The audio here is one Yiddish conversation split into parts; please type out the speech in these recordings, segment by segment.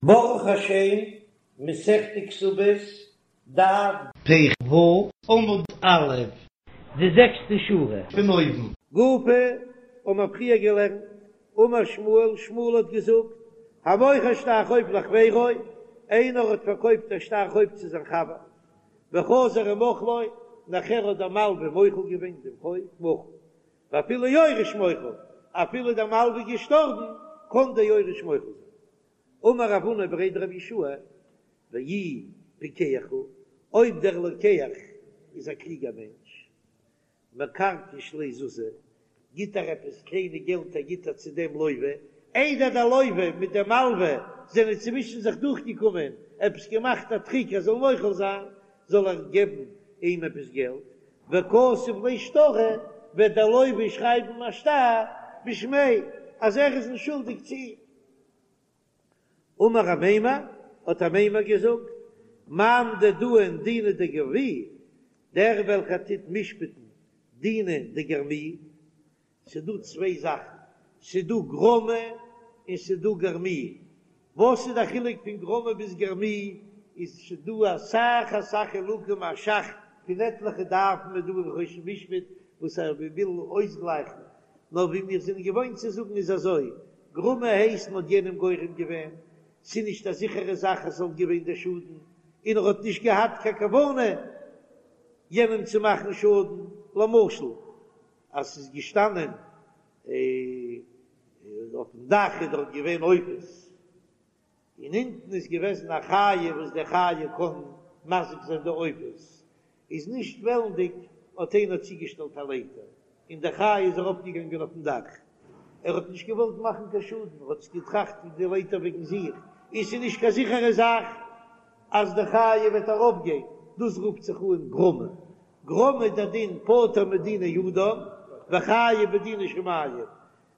ברוך השם, מסכת כתובות, דף פ"ו, עמוד א', די זעקסטע שורה פון אויבן. גופא, האבן מיר פריער געלערנט, אמר שמואל, שמואל האט געזאגט, המוכר שטר חוב לחבירו, איינער האט פארקויפט א שטר חוב צו זיין חבר, וחזר ומחלו, נאכער האט דער מלווה מוחל געווען דעם חוב, מחול, ואפילו יורש מוחל, אפילו דער מלווה איז געשטארבן, קען דער יורש מוחל זיין. אמר רב הונא בריה דרב יהושע, ואי פיקח הוא, אויב דער לוקח איז א קלוגער מענטש, מקרקש ליה זוזי, גיט ער עפעס קליינע געלט ער גיט ער צו דעם לוה, איידער דער לוה מיט דעם מלווה זענען צווישן זיך דורכגעקומען, עפעס געמאכט א טריק ער זאל מוחל זיין, זאל ער געבן אים עפעס געלט, וכתב ליה שטרא, וועט דער לוה שרייבן א שטר בשמיה אז ער איז נישט שולדיג צו אים. אמר אמימר, האט אמימר געזאגט, מאן דדאין דינא דגרמי, דער וועלכער טוט משפט'ן דינא דגרמי, ס'דא צוויי זאכן, ס'דא גרמא און ס'דא גרמי, וואס איז די חילוק פון גרמא ביז גרמי, איז ס'דא אסאך אסאך חילוקים א ש"ך פון עטליכע דפים איז דא אין חושן משפט וואס ער וויל אויסגלייכן, נאר ווי מיר זענען געוואוינט צו זאגן איז אזוי, גרמא הייסט מ'האט יענעם גורם געווען, ס'איז נישט א זיכערע זאך אז ס'זאל געווען דער שאדן, און ער האט נישט געהאט קיין כוונה יענעם צו מאכן שאדן, למשל אז ס'איז געשטאנען אויפן דאך איז דארט געווען עופות, און אונטן איז געוועזן א חיה וואס די חיה קען מזיק זיין די עופות, איז נישט וועלנדיג האט איינער צוגעשטעלט א לייטער און די חיה איז ארויפגעגאנגען אויפן דאך, ער האט נישט געוואלט מאכן קיין שאדן, ער האט זיך געטראכט פון די לייטער וועגן זיך, און ס'איז נישט קיין זיכערע זאך אז די חיה וועט ארויפגיין, דאס רופט זיך אן גרמא, גרמא איז דער דין פטור מדיני אדם וחייב בדיני שמים,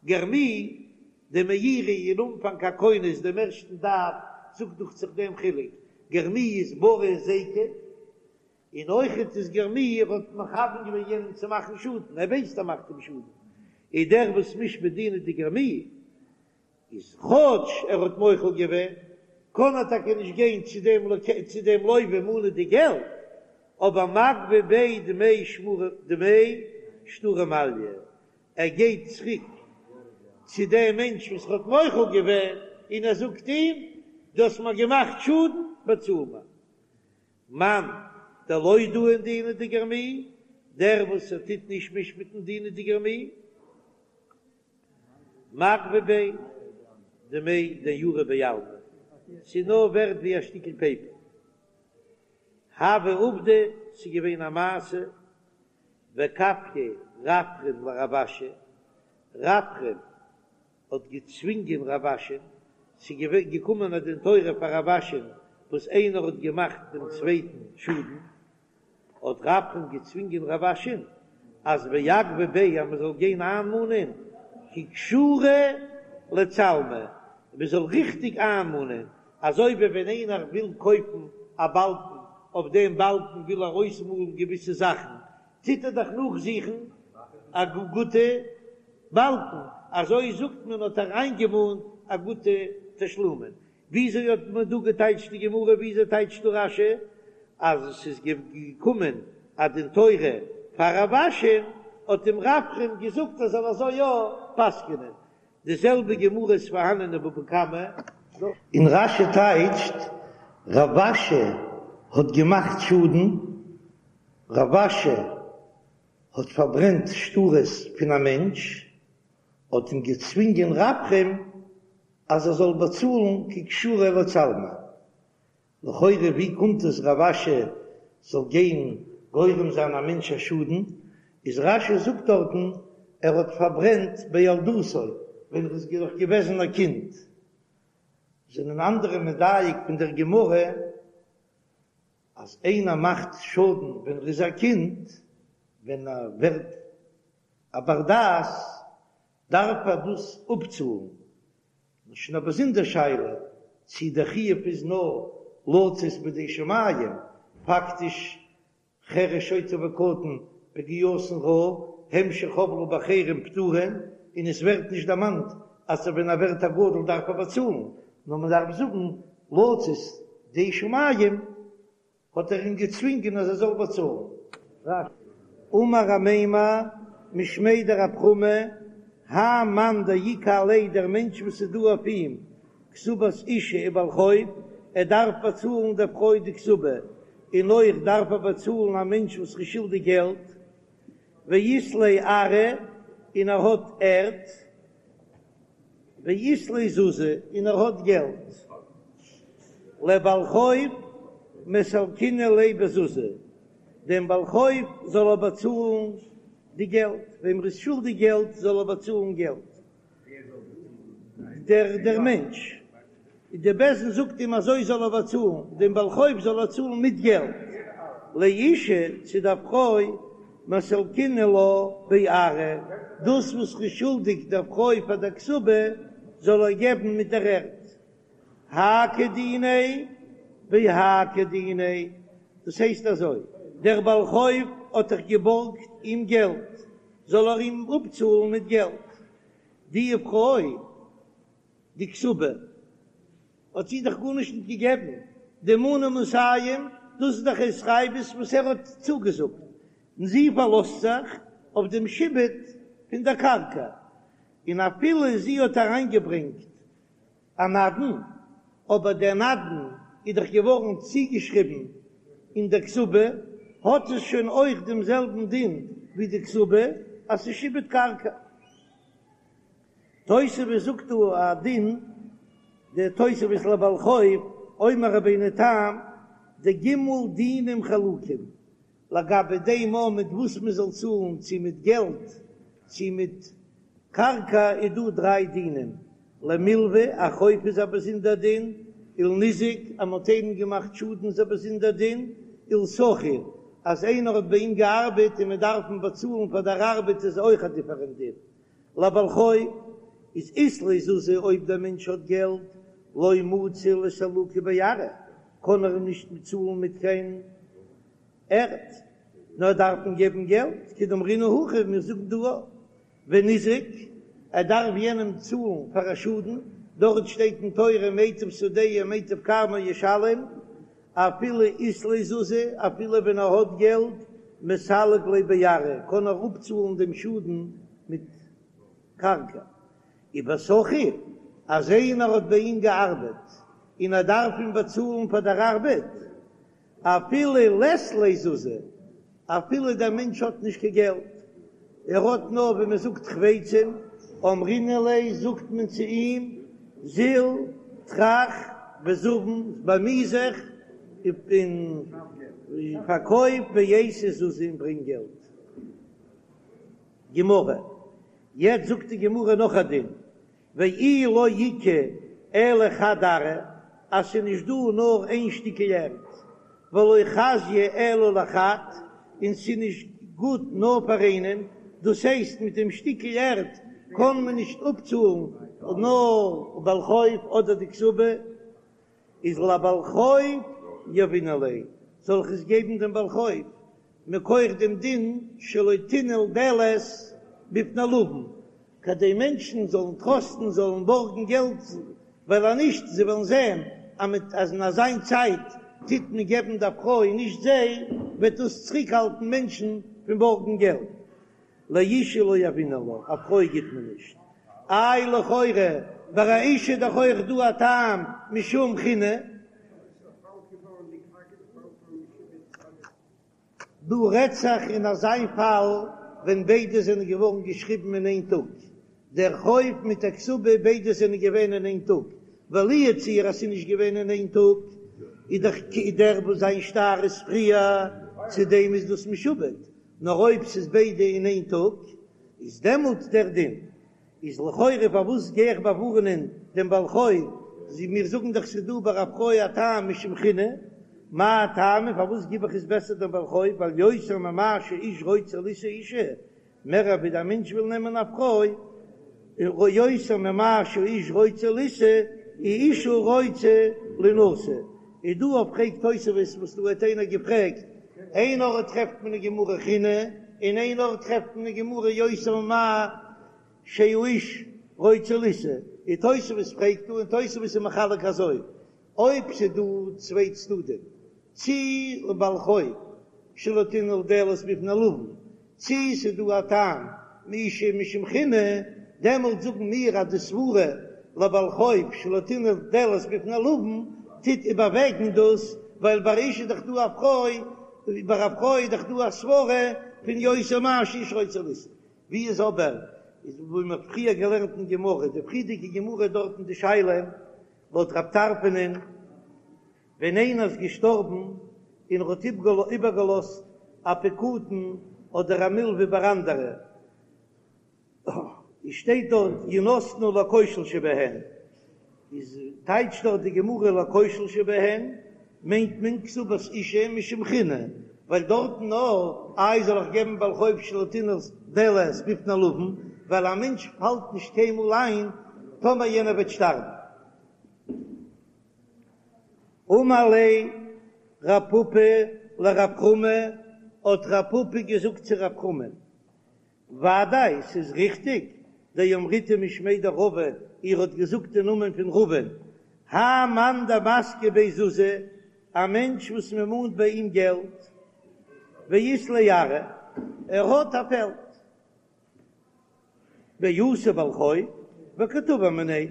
גרמי, די מאירי אין אנפאנג הכונס דעם ערשטן דף זאגט דוכט זיך דעם חילוק, גרמי איז ברי היזיקא, און אויכעט איז גרמי ער האט מכוון געווען יענעם צו מאכן שאדן, ער ווייסט ער מאכט אים שאדן, איז דער וואס משפט דינא דגרמי איז כאטש ער האט מוחל געווען, קען ער טאקע נישט גיין צו דעם צו דעם לוה מאנען די געלט, אבער מגבי ביה דמי שמור דמי שטרא מעליא, ער גייט צוריק צו דעם מענטש וואס האט מוחל געווען און ער זאגט אים, דו האסט מיר געמאכט שאדן, באצאל מיר. מאן דלא דאין דינא דגרמי, דער וואס ער טוט נישט משפט'ן דינא דגרמי, מגבי ביה דמי דניירא בעלמא, ס'איז נאר ווערט ווי א שטיקל פעיפער. הוה עובדא, ס'איז געווען א מעשה, וכפיה רפרם לרב אשי, רפרם האט געצווינגען רב אשי'ן, ס'איז געווען געקומען א דין תורה פאר רב אשי'ן וואס איינער האט געמאכט דעם צווייטן שאדן, האט רפרם געצווינגען רב אשי'ן אז ואגבי ביה אז מען זאל גיין איינמאנען ככשרא לצלמא, מען זאל ריכטיג איינמאנען, אזוי ווי ווען איינער וויל קויפן א באלקן, אויף דעם באלקן וויל ער אויסמאלן געוויסע זאכן, טוט ער דאך נאכזוכן א גוטע באלקן, אזוי זאגט מען האט ער איינגעמאנט א גוטע תשלומין. וויאזוי האט מען דא געטייטשט די גמרא, וויאזוי טייטשט דא רש"י אז עס איז געקומען א דין תורה פאר רב אשי'ן, האט אים רפרם געזאגט ער זאל אזוי יא פסק'נען. די זעלבע גמרא איז פארהאנען אין בבא קמא. און רש"י טייטשט, רב אשי האט געמאכט שאדן, רב אשי האט פארברענט שטרות פון א מענטש, האט אים געצווינגען רפרם אז ער זאל באצאלן ככשרא לצלמא. לכאורה ווי קומט עס רב אשי זאל גיין גורם זיין א מענטש א שאדן, איז רש"י זאגט דארטן ער האט פארברענט בילדותו ווען ער איז נאך געוועזן א קינד, זענען אנדערע מדייק פון דער גמרא אז איינער מאכט שאדן ווען ער איז א קינד, ווען ער ווערט א בר דעת דארף ער דאס אפצאלן, און שוין א באזונדער שאלה צי דער חיוב איז נאר לצאת בידי שמים, פאקטיש חרש שוטה וקטן פגיעתן רעה הם שחבלו באחרים פטורין, און עס ווערט נישט דערמאנט אז ווען ער ווערט א גדול דארף ער באצאלן, נאר מען דארף זאגן. לצאת ידי שמים האט ער אים געצווינגען אז ער זאל באצאלן. אמר אמימר משמיה דרב חמא, האי מאן דאיכא עליה דער מענטש וואס איז דא אויף אים כתובת אשה ובעל חוב, ער דארף באצאלן דער פרוי די כתובה, און אויך דארף ער באצאלן א מענטש וואס איז שולדיג געלט, ואית ליה ארעא, און ער האט ערד. ואית ליה זוזי, און ער האט געלט. לבעל חוב מסלקינן ליה בזוזי, דעם בעל חוב זאל ער באצאלן די געלט, וועם ער איז שולדיג געלט זאל ער באצאלן געלט. דער דער מענטש. די בית דין זאגט אים אזוי זאל ער באצאלן, דעם בעל חוב זאל ער צאלן מיט געלט, לאשה צו דער פרוי מסלקינן לה בארעא, דאס וואס ר'איז שולדיג דער פרוי פאר דער כתובה זאל ער געבן מיט דער ערד, האי כדיניה והאי כדיניה, דאס הייסט אזוי, דער בעל חוב האט דאך געבארגט אים געלט, זאל ער אים אפצאלן מיט געלט, די פרוי. די כתובה האט זי דאך גארנישט נישט געגעבן, די מנה מאתים, דאס איז דאך התחייבות וואס ער האט צוגעזאגט, און זי פארלאזט זיך אויף דעם שעבוד פון דער קרקע, און אפילו זי האט אריינגעברענגט א נדן, אבער דער נדן איז דאך געווארן צוגעשריבן אין דער כתובה, האט עס שוין אויך דעם זעלבן דין ווי די כתובה, אז ס'איז שעבוד קרקע. תוספות זאגט דא א דין, דער תוספות לבעל חוב, אומר רבינו תם, דג' דינים חלוקים, לגבי דעם א מיט וואס מען זאל צאלן, צו מיט געלט צו מיט קרקע, איז דא דריי דינים, למלוה, א חוב איז א באזונדער דין, ולניזק, אז מען האט איינעם געמאכט שאדן איז א באזונדער דין, ולשכיר, אז איינער האט ביי אים געארבעט און מען דארף אים באצאלן פאר דער ארבעט איז אויך א דיפערענט דין. לבעל חוב איז אית ליה זוזי אויב דער מענטש האט געלט לא מצי לסלוקי בארעא קען ער אים נישט צאלן מיט קיין ערד נאר דארף אים געבן געלט כדאמרינן הכא מיר זאגן דא וניזק ער דארף יענעם צאלן פאר א שאדן דארט שטייט אין תורה מיטב שדהו ומיטב כרמו ישלם אפילו אית ליה זוזי אפילו ווען ער האט געלט מסלק ליה בארעא קען ער אפצאלן דעם שאדן מיט קרקע. ובשכיר אז איינער האט ביי אים געארבעט און ער דארף אים באצאלן פאר דער ארבעט, אפילו לית ליה זוזי, אפילו דער מענטש האט נישט קיין געלט, ער האט נאר ווי מען זאגט חפצים, אמרינן ליה זאגט מען צו אים, זיל טרח וזבין, באמי זיך און פארקויף ואייתי זוזי און ברענג געלט. גמרא, יעצט זאגט די גמרא נאך א דין, ואי לא איכא אלא חד ארעא, אז ס'איז נישט דא נאר איין שטיקל ערד, ולא חזיא אלא לחד, און ס'איז נישט גוט נאר פאר איינעם, דאס הייסט מיט דעם שטיקל ערד קען מען נישט אפצאלן נאר בעל חוב אדער די כתובה, איז לבעל חוב יהבינן ליה, זאל איך עס געבן דעם בעל חוב, מכח דעם דין שלא תנעול דלת בפני לווין, כדי מענטשן זאלן טראסטן זאלן בארגן געלט, ווייל אז נישט זיי וועלן זען אז מיט אז אין אזיין צייט טוט מען געבן דער פרוי און נישט זיי, וועט דאס צוריקהאלטן מענטשן פון בארגן געלט. לאשה לא יהבינן לה, א פרוי גיט מען נישט. איי לכאורה ביי א אשה איז דאך אויך דא א טעם משום חינא. דא רעדט זיך אין אזיין פאל ווען ביידע זענען געווארן געשריבן אין איין טאג, דער חוב מיט דער כתובה ביידע זענען געווען אין איין טאג, ווייל לו יצוייר אז ס'איז נישט געווען אין איין טאג, איז דאך דער וואס זיין שטר איז פריער, צו דעם איז דאס משועבד, נאר אויב ס'איז ביידע אין איין טאג, איז דעמאלט דער דין. איז לכאורה פארוואס גיי איך באווארענען דעם בעל חוב, זי מיר זאגן דאך ס'איז דא ביי א פרוי א טעם משום חינא, מאי טעמא פארוואס גיב איך עס בעסער דעם בעל חוב, ווייל יותר ממה שאיש רוצה לישא אישה, מער ווי דער מענטש וויל נעמען א פרוי, יותר ממה שאיש רוצה לישא, אישה רוצה לינשא, איז דא אויף פרעגט תוספות וואס דא האט איינער געפרעגט, איין ארט טרעפט מען אין גמרא חינא, און איין ארט טרעפט מען אין גמרא יותר ממה שהאיש רוצה לישא, און תוספות פרעגט דא און תוספות איז מחלק אזוי. אויב ס'דא צוויי צדדים, צי לבעל חוב שלא תנעול דלת בפני לוין, צי ס'דא א טעם מאשה משום חינא, דעמאלט זאגן מיר אז די סברה לבעל חוב שלא תנעול דלת בפני לוין טוט איבערוועגן דאס, ווייל ביי אשה איז דאך דא א פרוי, ביי א פרוי איז דאך דא א סברה פון יותר מה שאשה רוצה לישא. ווי איז אבער איז ווי מ'האט פריער געלערנט אין גמרא, די פריערדיגע גמרא דארטן די שאלה לויט רב טרפון'ען, ווען איינער איז געשטארבן און ער האט איבערגעלאזט א פקדון אדער א מלוה ביי אנדערע, איז שטייט דארט ינתנו לכושל שבהן, איז טייטשט דארט די גמרא לכושל שבהן מיינט מען כתובת אשה משום חינא, ווייל דארטן נאר איי זאל איך געבן בעל חוב שלא תנעול דלת בפני לוין, ווייל א מענטש פאלט נישט קיינמאל איין טאמער יענער וועט שטארבן. אמר ליה רב פפא לרב חמא, האט רב פפא געזאגט צו רב חמא, ודאי ס'איז ריכטיג, דאמריתו משמיה דרבא, איר האט געזאגט אין נאמען פון רבא'ן, האי מאן דמסקי ביה זוזי, א מענטש וואס מען מאנט ביי אים געלט, ואית ליה ארעא, ער האט א פעלד. ואתא בעל חוב וקתבע מיניה,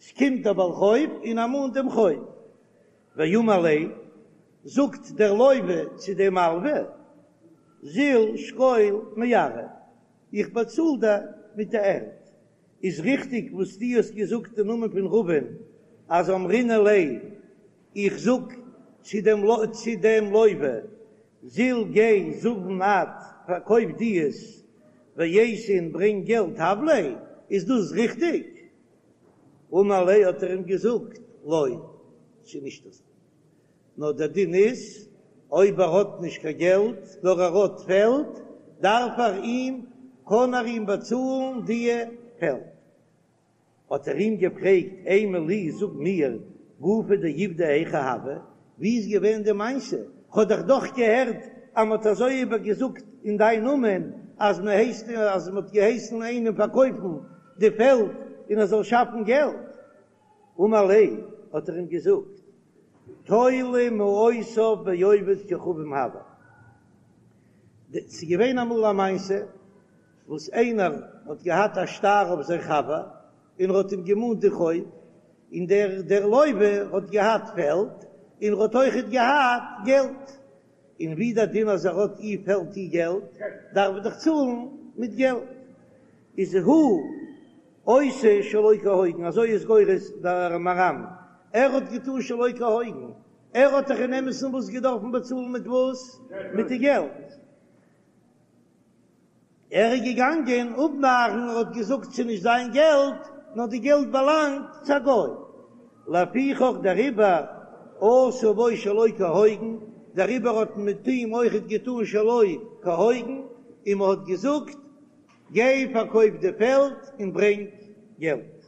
ס'קומט דער בעל חוב און ער מאנט דעם חוב, ואמר ליה, זאגט דער לוה צו דעם מלווה, זיל שקול מארעא, איך באצאל דיר מיט די ערד. איז ריכטיג וואס דו האסט געזאגט אין נאמען פון רבא'ן אז אמרינן ליה, איך זאג צו דעם צו דעם לוה, זיל גיי זבין את, פארקויף דו עס, ואייתי און ברענג געלט הב ליה, איז דאס ריכטיג? אמר ליה האט ער אים געזאגט, לא, ס'איז נישט אזוי, נאר דער דין איז, אויב ער האט נישט קיין געלט, נאר ער האט פעלד, דארף ער אים, קען ער אים באצאלן די פעלד. האט ער אים געפרעגט, אימא לי, זאג מיר, גופא דעובדא היכי הוה, ווי איז געווען די מעשה? כ'האב דיך דאך געהערט אז מ'האט אזוי איבער געזאגט אין דיין נאמען, אז מ'הייסט אז מ'האט געהייסן איינעם פארקויפן די פעלד און ער זאל שאפן געלט. אמר ליה, האט ער אים געזאגט, תולה מעותיו בעובד כוכבים הוה. ס'איז געווען אמאל א מעשה וואס איינער האט געהאט א שטר אויף זיין חבר און ער האט אים געמאנט די חוב, און דער דער לוה האט געהאט פעלד און ער האט אויכעט געהאט געלט, און ווי דער דין אז ער האט אי פעלד אי געלט דארף ער דאך צאלן מיט געלט, איז הוא עושה שלא כהוגן, אזוי איז גורס דער מהר"ם, ער האט געטון שלא כהוגן, ער האט דאך אין אמת'ן וואס געדארפן באצאלן מיט וואס? מיט די געלט. ער איז געגאנגען אפנארן, ער האט געזאגט ס'איז נישט זיין געלט, נאר די געלט באלאנגט צו א גוי. לפיכך דעריבער עשו בו שלא כהוגן, דעריבער האט מען מיט אים אויכעט געטאן שלא כהוגן, און מען האט געזאגט, גיי פארקויף די פעלד און ברענג געלט.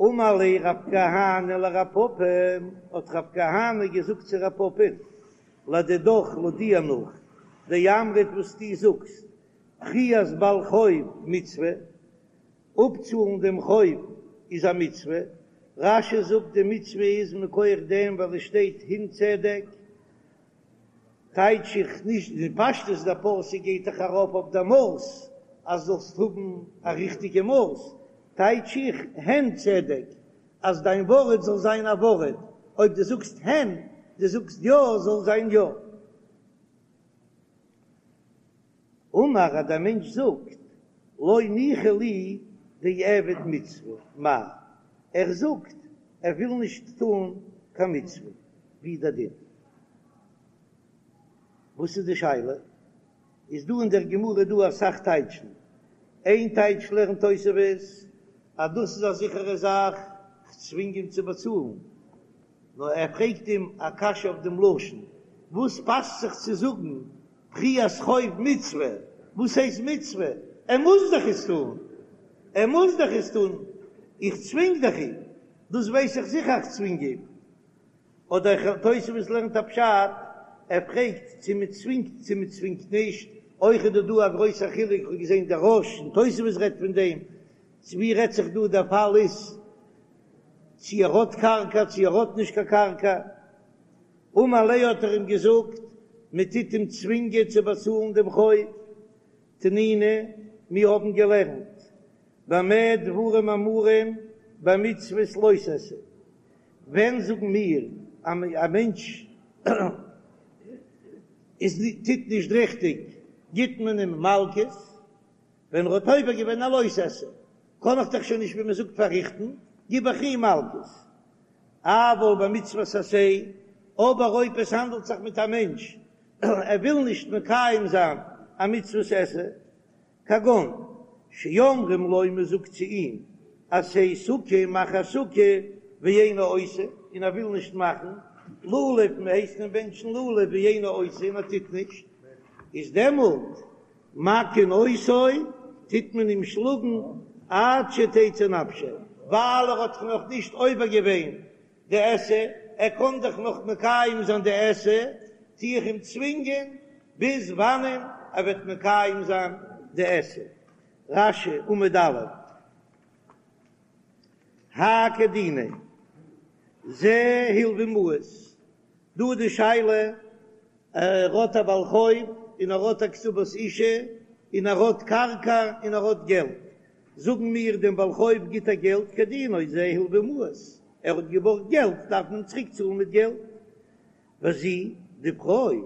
אמר ליה רב כהנא לרב פפא, האט רב כהנא געזאגט צו רב פפא, לדידך לויט דיר נאך, דאמרת וואס דו זאגסט, פריעת בעל חוב מצוה, אפצאלן דעם חוב איז א מצוה, רש"י זאגט די מצוה איז מכח דעם ווייל עס שטייט הן צדק, טייטש איך נישט די פשטות דער פסוק גייט דאך ארויף אויף די מאס אז זאלסט האבן א ריכטיגע מאס, טייטש איך הן צדק אז דיין ווארט זאל זיין א ווארט, אויב דו זאגסט הן, דו זאגסט יא, זאל זיין יא. אמר אז דער מענטש זאגט לא ניחא לי דאעביד מצוה מהו, ער זאגט ער וויל נישט טון קיין מצוה, ווי דער דין? וואס איז די שאלה? איז דא אין דער גמרא דא אסאך טייטשן, איין טייטש לערנט תוספות אז דאס איז א זיכערע זאך, כ'צווינג אים צו באצאלן, נאר ער פרעגט אים א קשיא אויף דעם לשון, וואס פאסט זיך צו זאגן פריעת חוב מצוה, וואס הייסט מצוה? ער מוז דאך עס טון, ער מוז דאך עס טון, איך צווינג דאך אים, דאס ווייס איך זיכער איך צווינג אים. אדער תוספות לערנט א פשט, ער פרעגט צו מען צווינגט צו מען צווינגט נישט, אויך איז דא דא א גרויסער חילוק, איך האב געזען דער רא"ש און תוספות רעדט פון דעם, צו ווי רעדט זיך דא דער פאל איז. צי ער האט קרקע צי ער האט נישט קיין קרקע. אמר ליה האט ער אים געזאגט, מען טוט אים צווינגען צו באצאלן דעם חוב. תנינא, מיר האבן געלערנט, במה דברים אמורים במצוות לא תעשה, ווען זאגן מיר אז א מענטש איז טוט נישט ריכטיג גיט מען אים מלקות, ווען ער האט עובר געווען א לא תעשה קען איך דאך שוין נישט ווי מען זאגט פארריכטן, גיב איך אים מלקות. אבל במצוות עשה, אבער אויב עס האנדלט זיך מיט א מענטש ער וויל נישט מקיים זיין א מצוות עשה, כגון שאומרים לו מען זאגט צו אים עשה סוכה מאך א סוכה ואינו עושה און ער וויל נישט מאכן לולב מען הייסט אים בענטשן לולב ואינו עושה און ער טוט נישט איז דעמאלט מכין אותו טוט מען אים שלאגן עד שתצא נפשו ווייל ער האט נאך נישט עובר געווען די עשה, ער קען דאך נאך מקיים זיין די עשה, טו איך אים צווינגען ביז וואנען ער וועט מקיים זיין די עשה. רש"י, עמוד א', האי כדיניה, זה הלוה מעות, דא איז די שאלה, ער האט א בעל חוב און ער האט א כתובת אשה און ער האט קרקע און ער האט געלט, זאגן מיר דעם בעל חוב גיט ער געלט כדינו זה הלוה מעות, ער האט געבארגט געלט דארף מען אים צוריק צאלן מיט געלט. וזו די פרוי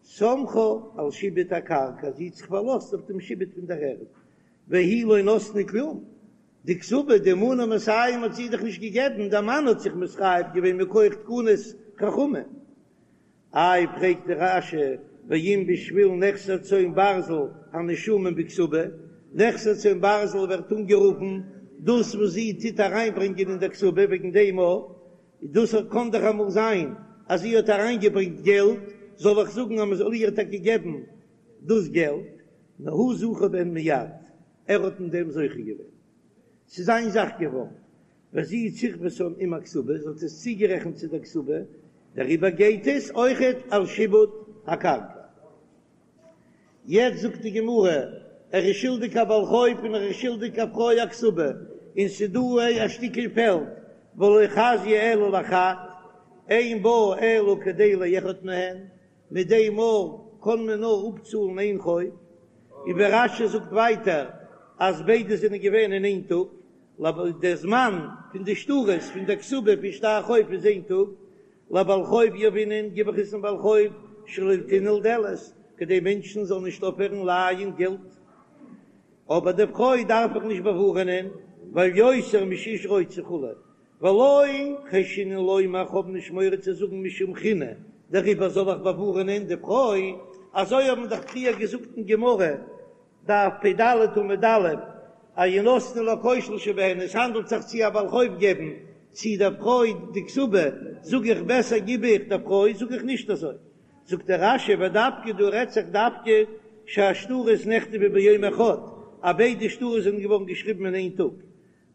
סמכה על שעבוד הקרקע זי האט זיך פארלאזט אויף דעם שעבוד פון דער ערד, והיא לא נתנה כלום, די כתובה די מנה מאתים האט זי דאך נישט געגעבן, דער מאן האט זיך מתחייב געווען מכח תקנת חכמים. איי פרעגט די רש"י ואם בשביל נכסי צאן ברזל הנישומים בכתובה, נכסי צאן ברזל ווערט אנגערופן דאס וואס זי טוט אריינברענגען אין דער כתובה וועגן דעם אויך, דאס קען דאך אמאל זיין אז זי האט אריינגעברענגט געלט, זאל איך זאגן אז מען זאל איר טאקע געבן דאס געלט, נאר הוא זכה בהן מיד, ער האט אין דעם זוכה געווען, ס'איז זיין זאך געווארן. וזו צירפתן עם הכתובה, זי האט עס צוגערעכנט צו דער כתובה, דעריבער גייט עס אויכעט על שעבוד הקרקע. יעצט זאגט די גמרא, ער איז שולדיג א בעל חוב און ער איז שולדיג א פרוי א כתובה, און ס'דא א שטיקל פעלד, ולא חזיא אלא לחד, אין בה אלא כדי לאחד מהן, מיט דעם מאל קען מען נאר אפצאלן איין חוב, און ווי רש"י זאגט ווייטער אז ביידע זענען געווען אין איין טאג, דער זמן פון די שטרות פון דער כתובה פון שטר חוב איז איין טאג, לבעל חוב יהבינן גיב איך עס דעם בעל חוב שלא תנעול דלת, כדי מענטשן זאלן נישט אויפהערן לייען געלט, אבער די פרוי דארף איך נישט באווארענען, ווייל יותר משאיש רוצה וכו', ולא חיישינן לומר איך האב נישט מורא צו זאגן משום חינא, דעריבער זאל איך באווארענען די פרוי, אזוי האבן דאך פריער געזאגט אין גמרא, דף פ"ד עמוד א', אז ינתנו לכושל שבהן, עס האנדלט זיך צי א בעל חוב געבן צי דער פרוי די כתובה, זאג איך בעסער גיב איך דער פרוי, זאג איך נישט אזוי, זאגט דער רש"י ודווקא דא רעדט זיך דווקא שהשטרות נכתבו ביום אחד, אז ביידע שטרות זענען געווארן געשריבן אין איין טאג,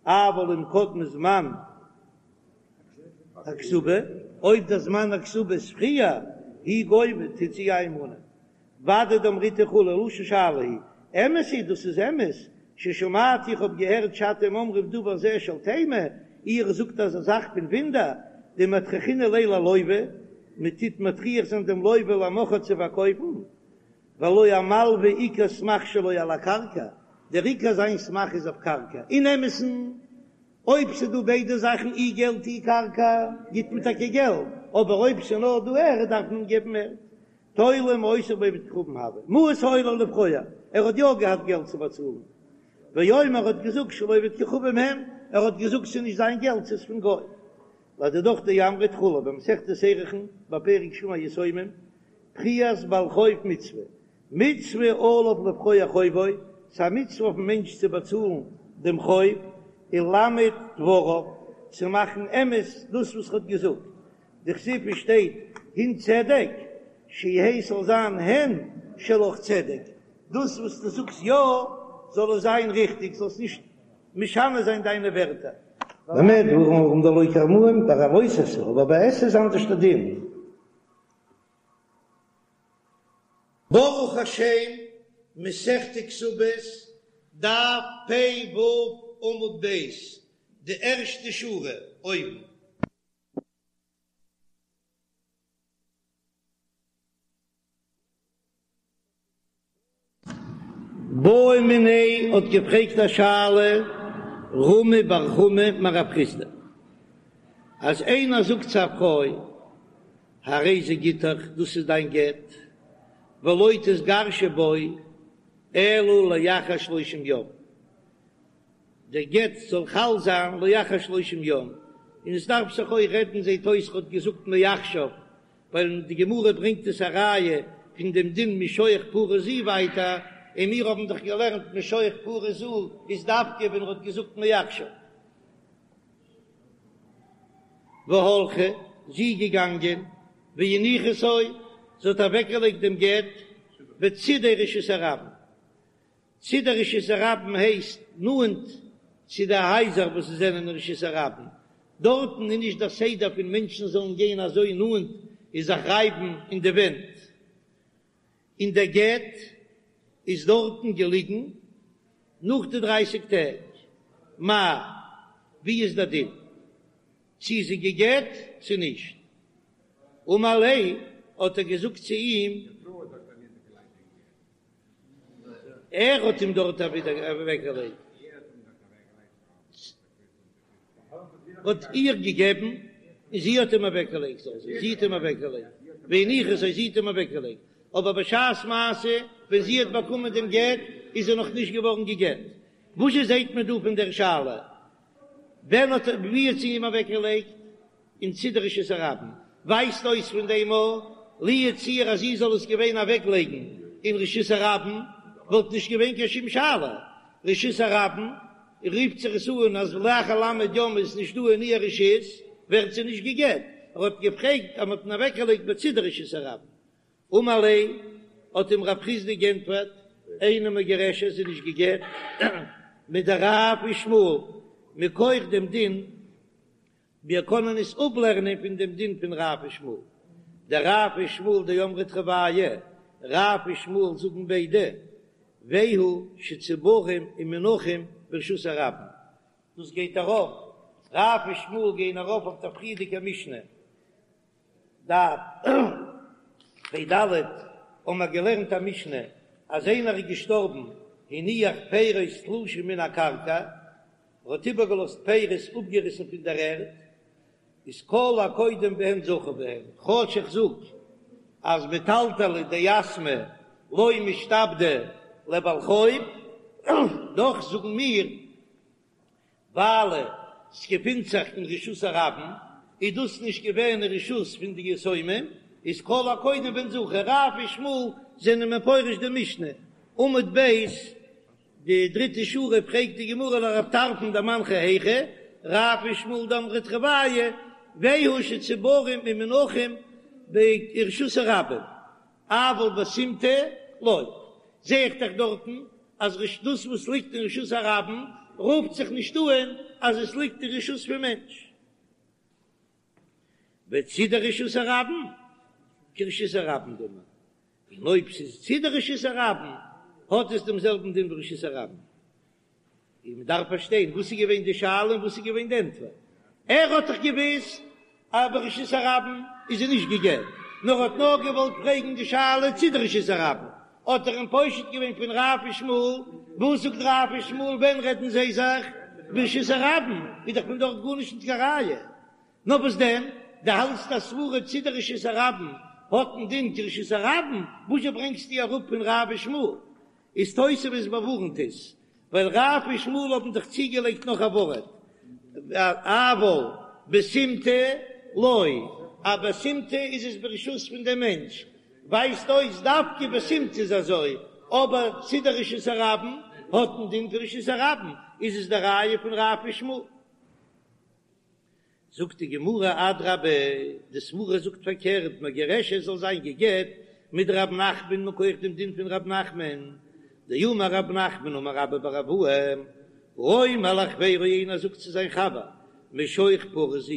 אבל אם קדמה זמן הכתובה, אויב דער זמן הכתובה איז פריער, היא גובה, טוט זי איינמאנען. ודאי דאמריתו כו' לשון שאלה היא, אמת היא, דאס איז אמת, ששמעתי איך האב געהערט שאתם אומרים דבר זה של תימה, איר זאגט אזא זאך פון וואונדער, דמטרחינן ליה ללוה, מען טוט מטריח זיין דעם לוה למוכרה צו פארקויפן, והלא המלוה עיקר סמך שלו על הקרקע, דער עיקר זיין סמך איז אויף קרקע, אין אמת'ן אויב ס'דא ביידע זאכן אי געלט אי קרקע גיט מען טאקע געלט, אבער אויב ס'נאר דא ערד דארף מען געבן ערד. תולה מעות בעובד כוכבים הוה, מעות היו לו לפרוע, ער האט יא געהאט געלט צו באצאלן, ואומר האט געזאגט של עובד כוכבים הם, ער האט געזאגט ס'איז נישט זיין געלט ס'איז פון גוי. לדידך דאמרת כו' במסכת ערכין בפרק שומר יתומים, פריעת בעל חוב מצוה, מצוה עליו לפרוע חובו, ס'איז א מצוה אויפן מענטש צו באצאלן דעם חוב, ולאמת דבריו, צו מאכן אמת דאס וואס ער האט געזאגט, דכתיב עס שטייט הן צדק, שיהא ס'זאל זיין הן שלך צדק, דאס וואס דו זאגסט יא זאל עס זיין ריכטיג, זאלסט נישט משנה זיין דיינע ווערטער. במה דברים אמורים דלא כרמאים ביי א לא תעשה, אבער ביי עשה איז אנדערש די דין. ברוך השם, מסכת כתובות, דף פ"ו עמוד ב', די ערשטע שורה. אויבן. בעא מיניה האט געפרעגט א שאלה רמי בר חמא מרב חסדא אז איינער זאגט צו א פרוי הרי זה גיטך דאס איז דיין גט ולא תתגרשי בו אלא לאחר שלושים יום דער גט זאל חל זיין לאחר שלושים יום און עס דארף זיך אויך רעדן זעט אויס ער האט געזאגט מעכשיו ווייל די גמרא ברענגט עס א ראיה פון דעם דין משוך פרה זו ווייטער, און מיר האבן דאך געלערנט משוך פרה זו איז דווקא ווען ער האט געזאגט מעכשיו. והלכה, זי איז געגאנגען, והניחתו, זי האט אוועקגעלייגט דעם גט בצידי רשות הרבים, צידי רשות הרבים הייסט נאנט צו די הייזער וואס זענען אין רשות הרבים, דארטן איז נישט דער סדר פון מענטשן זאלן גיין אזוי נאנט און זיך רייבן אין די ווענט, און דער גט איז דארטן געליגן נאך די דרייסיג טעג, מהו, ווי איז דער דין צו איז זי גע'גט צו נישט? אמר ליה, האט ער געזאגט צו אים. ער האט אים דארט אוועקגעלייגט, האט איר געגעבן און זי האט אים אוועקגעלייגט, זי האט אים אוועקגעלייגט, והניחתו, זי האט אים אוועקגעלייגט, אבער בשעת מעשה ווען זי האט באקומען דעם גט איז זי נאך נישט געווארן גע'גט. וואס זשע זעט מען דא פון דער שאלה? ווען האט ער ווי האט זי אים אוועקגעלייגט? אין צידי רשות הרבים, ווייזט אויס פון דעם אז לו יצוייר אז זי זאל עס געווען אוועק לייגן אין רשות הרבים וואלט נישט געווען קיין שום שאלה, רשות הרבים רופט זיך עס אן אז לאחר ל' יום איז נישט דא אין איר רשות ווערט זי נישט גע'גט, ער האט געפרעגט אז מען האט אים אוועק געלייגט בצידי רשות הרבים, אמר ליה האט אים רב חסדא גענטפערט, אינה מגורשת זי איז נישט גע'גט מדרב ושמואל מכח דעם דין. מיר קענען עס אפלערנען פון דעם דין פון רב ושמואל. דרב ושמואל דאמרי תרוייהו, רב ושמואל זאגן ביידע, והוא שצבורים ומונחים ברשות הרבים. דאס גייט ארויף, רב ושמואל גייען ארויף אויף דער פריערדיגער משנה, דף פ"ד, האבן מיר געלערנט א משנה אז איינער איז געשטארבן הניח פירות תלושים מן הקרקע, ער האט איבערגעלאזט פירות אפגעריסן פון דער ערד, איז כל הקודם בהן זכה בהן, כאטש איך זאג אז מטלטלי דיתמי לא משתעבדי לבעל חוב, דאך זאגן מיר ווייל ס'געפינט זיך אין רשות הרבים, איז דאס נישט געווען אין רשות פון די יתומים, איז כל הקודם בהן זכה. רב ושמואל זענען מפרש די משנה, עמוד ב', די דריטע שורה פרעגט די גמרא לרב טרפון דמנחי היכי, רב ושמואל דאמרי תרוייהו, והוא שצבורים ומונחים ברשות הרבים, אבל בסימטא לא, זע איך דאך דארטן אז דאס וואס ליגט אין רשות הרבים רופט זיך נישט אן אז עס ליגט אין רשות פון מענטש. וצידי רשות הרבים כרשות הרבים דמי, און אויב ס'איז צידי רשות הרבים האט עס דעם זעלבן דין ווי רשות הרבים. און מען דארף פארשטיין וואס איז געווען די שאלה און וואס איז געווען די ענטפער. ער האט דאך געוואוסט אז ברשות הרבים איז זי נישט גע'גט, נאר האט נאר געוואלט פרעגן די שאלה צידי רשות הרבים, האט ער אים פושט געווען פון רב ושמואל, וואס זאגט רב ושמואל ווען רעדן זיי זיך ברשות הרבים, איז דאך פון דארט גארנישט נישט קיין ראיה. נאר וואס דען, דו האלטסט א סברא צידי רשות הרבים האט א דין כרשות הרבים, וואזשע ברענגסטו אראפ פון רב ושמואל? איז תוספות באווארנט עס, ווייל רב ושמואל האבן דאך צוגעלייגט נאך א ווארט, אבל בסימטא לא, אז בסימטא איז עס ברשות פון דעם מענטש, ווייזט אויס דווקא בסימטא איז אזוי, אבער צידי רשות הרבים האט א דין פון רשות הרבים, איז עס די ראיה פון רב ושמואל. זאגט די גמרא אדרבה, די סברא זאגט פארקערט, מגורשת זאל זיין גע'גט מדרב נחמן מכח דעם דין פון רב נחמן, דאמר רב נחמן אמר רבה בר אבוה, האומר לחבירו איינער זאגט צו זיין חבר משוך פרה זו,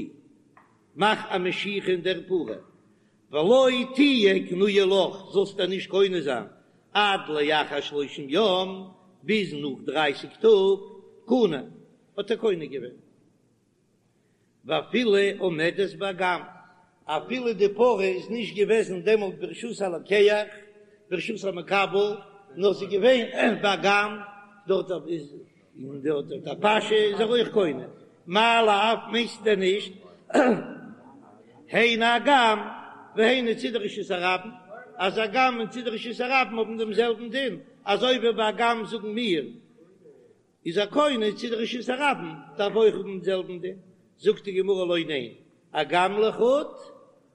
מאך א משיכה אין דער פרה, ולא תהיה קנויה לך, זאלסט איר נישט קונה זיין עד לאחר שלושים יום, ביז נאך דרייסיג טאג, קנה, האט ער קונה געווען. ואפילו עומדת באגם, אפילו די פרה איז נישט געוועזן דעמאלט ברשות הלוקח, ברשות המקבל, נאר ס'איז געווען באגם, דארט איז און דארט האט א פאשע איז ער אויך קונה, מאי לאו מיינסט דען נישט היינו אגם והיינו צידי רשות הרבים, אז אגם און צידי רשות הרבים האבן דעם זעלבן דין, אזוי ווי ביי אגם זאגן מיר איז ער קונה צידי רשות הרבים דארף אויך האבן דעם זעלבן דין, זאגט די גמרא לא ניין, אגם לחוד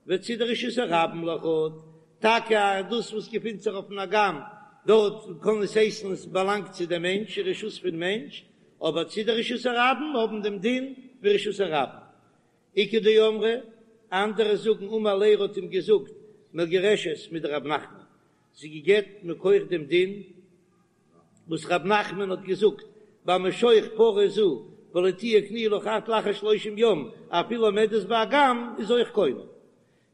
וצידי רשות הרבים לחוד, טאקע אז דאס וואס געפינט זיך אויפן אגם דארט קען עס הייסן עס באלאנגט צו דעם מענטש, רשות פון מענטש, אבער צידי רשות הרבים האבן דעם דין ווי רשות הרבים. איכא דאמרי, אנדערע זאגן אמר ליה ער האט אים געזאגט מגורשת מדרב נחמן, זי גע'גט מכח דעם דין וואס רב נחמן האט געזאגט ביי משוך פרה זו ולא תהיה קנויה לך עד לאחר שלושים יום אפילו עומדת באגם איז אויך קונה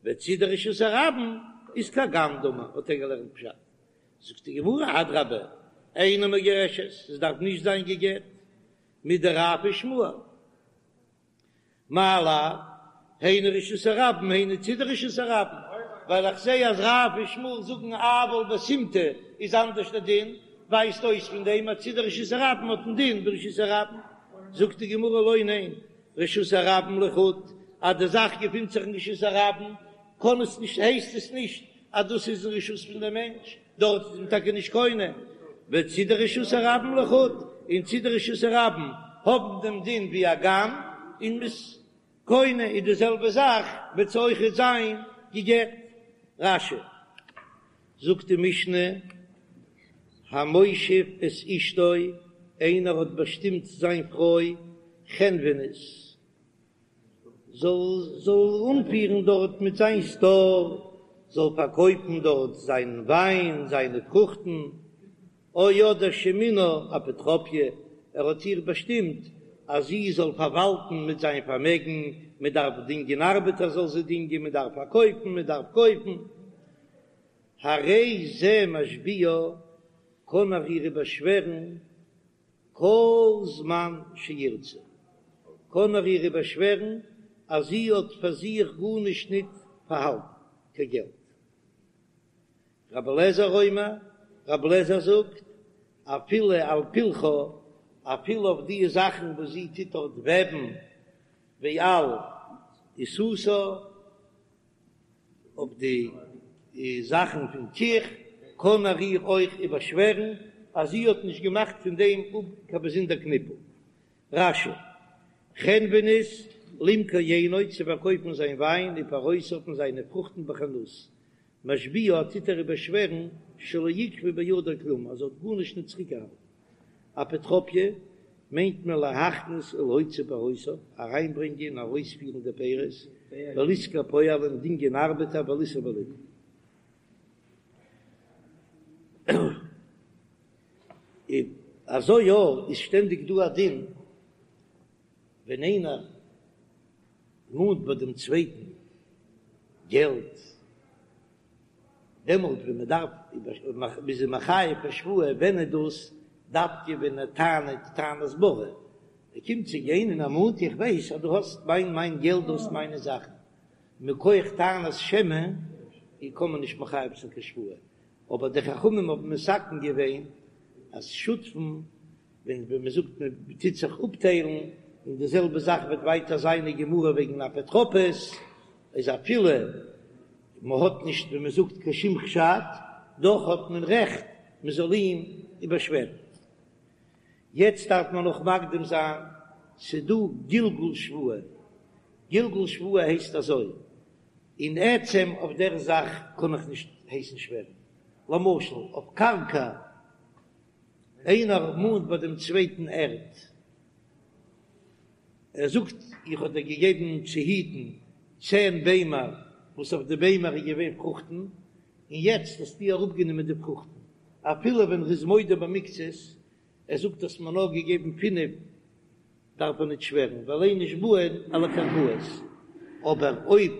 וצידי רשות הרבים איז כאגם דמי האט ער געלערנט פשט זאגט די גמרא אדרבה אינה מגורשת עס דארף נישט זיין גע'גט מדרב ושמואל. מאי לאו, היינו רשות הרבים היינו צידי רשות הרבים, ווייל איך זעה אז רב און שמואל זאגן אבל בסימטא איז אנדערש דער דין, ווייזט אויס פון דעם אז צידי רשות הרבים האט א דין ווי רשות הרבים, זאגט די גמרא לא ניין, רשות הרבים לחוד, אז די זאך געפינט זיך אין רשות הרבים קען עס נישט הייסט עס נישט אז דאס איז אין רשות פון דעם מענטש, דארט איז מען טאקע נישט קונה, וצידי רשות הרבים לחוד, און צידי רשות הרבים האבן דעם דין ווי אגם, און מ'איז קונה איז די זעלבע זאך וועט זי אויכעט זיין גע'גט. רש"י זאגט די משנה, המושיב את אשתו, איינער האט באשטימט זיין פרוי חנונית, זאל זאל אנפירן דארט מיט זיין סטאר, זאל פארקויפן דארט זיין וויין, זיינע פרוכטן, או אדער שמינה אפוטרופיא, ער האט איר באשטימט אז זי זאל פארוואלטן מיט זיין פארמעגן, מען דארף דינגען ארבעטער זאל זי דינגען, מען דארף פארקויפן, מען דארף קויפן, הרי זה משביעה, קען ער איר באשווערן כל זמן שירצה, קען ער איר באשווערן אז זי האט פאר זיך גארנישט ניט פארהאלטן, קיין געלט. רבי אליעזר אומר, רבי אליעזר זאגט, אפילו על פלחה, אפילו אויף די זאכן וואס זי טוט דארט וועבן, ועל עיסתה, אויף די זאכן פון קיך, קען ער איר אויך איבערשווערן אז זי האט נישט געמאכט פון דעם אפ קיין באזונדער קניפל. רש"י, חנונית למכור יינו צו פארקויפן זיין וויין ופירותיו און זיינע פרוכטן בחנות, משביעה טוט ער איבערשווערן שלא עיכבה בידה כלום אז זי האט גארנישט נישט צוריקגעהאלטן. אפוטרופיא מיינט מען להכניס ולהוציא פירותיו, אריינברענגען און ארויספירן די פירות, ולשכור פועלים, דינגען ארבעטער, ולישא וליטול. און אזוי יא איז שטענדיג דא א דין ווען איינער מאנט ביי דעם צווייטן געלט, דעמאלט ווען מען דארף מ'איז אים מחייב א שבועה, ווען איז דאס? דווקא ווען ער טענה'ט טענת בריר, ער קומט צו גיין און ער מאנט איך ווייס אז דו האסט מיין מיין געלט דו האסט מיינע זאכן, מכח טענת שמא קען מען נישט מחייב זיין קיין שבועה, אבער די חכמים האבן מתקן געווען אז שותפים ווען ווען מען זאגט מען טוט זיך אפטיילן, און די זעלבע זאך וועט ווייטער זיין אין גמרא וועגן אפוטרופוס, איז אפילו מען האט נישט ווי מען זאגט קיין שום חשד, דאך האט מען רעכט מען זאל אים איבערשווערן. יעצט דארף מען נאך מקדים זיין, ס'דא גלגול שבועה, גלגול שבועה הייסט אזוי, אין עצם אויף דער זאך קען איך נישט הייסן שווערן, למשל אויף קרקע, איינער מאנט ביי דעם צווייטן ערד, ער זאגט איך האב דיר געגעבן צו היטן צען ביימער וואס אויף די ביימער איז געווען פרוכטן, און יעצט האסטו אראפגענומען די פרוכטן, אפילו ווען ער איז מודה במקצת, ער זאגט האסט מיר נאר געגעבן פינף, דארף ער ניט שווערן, ווייל אין נשבעין על הקרקעות, אבער אויב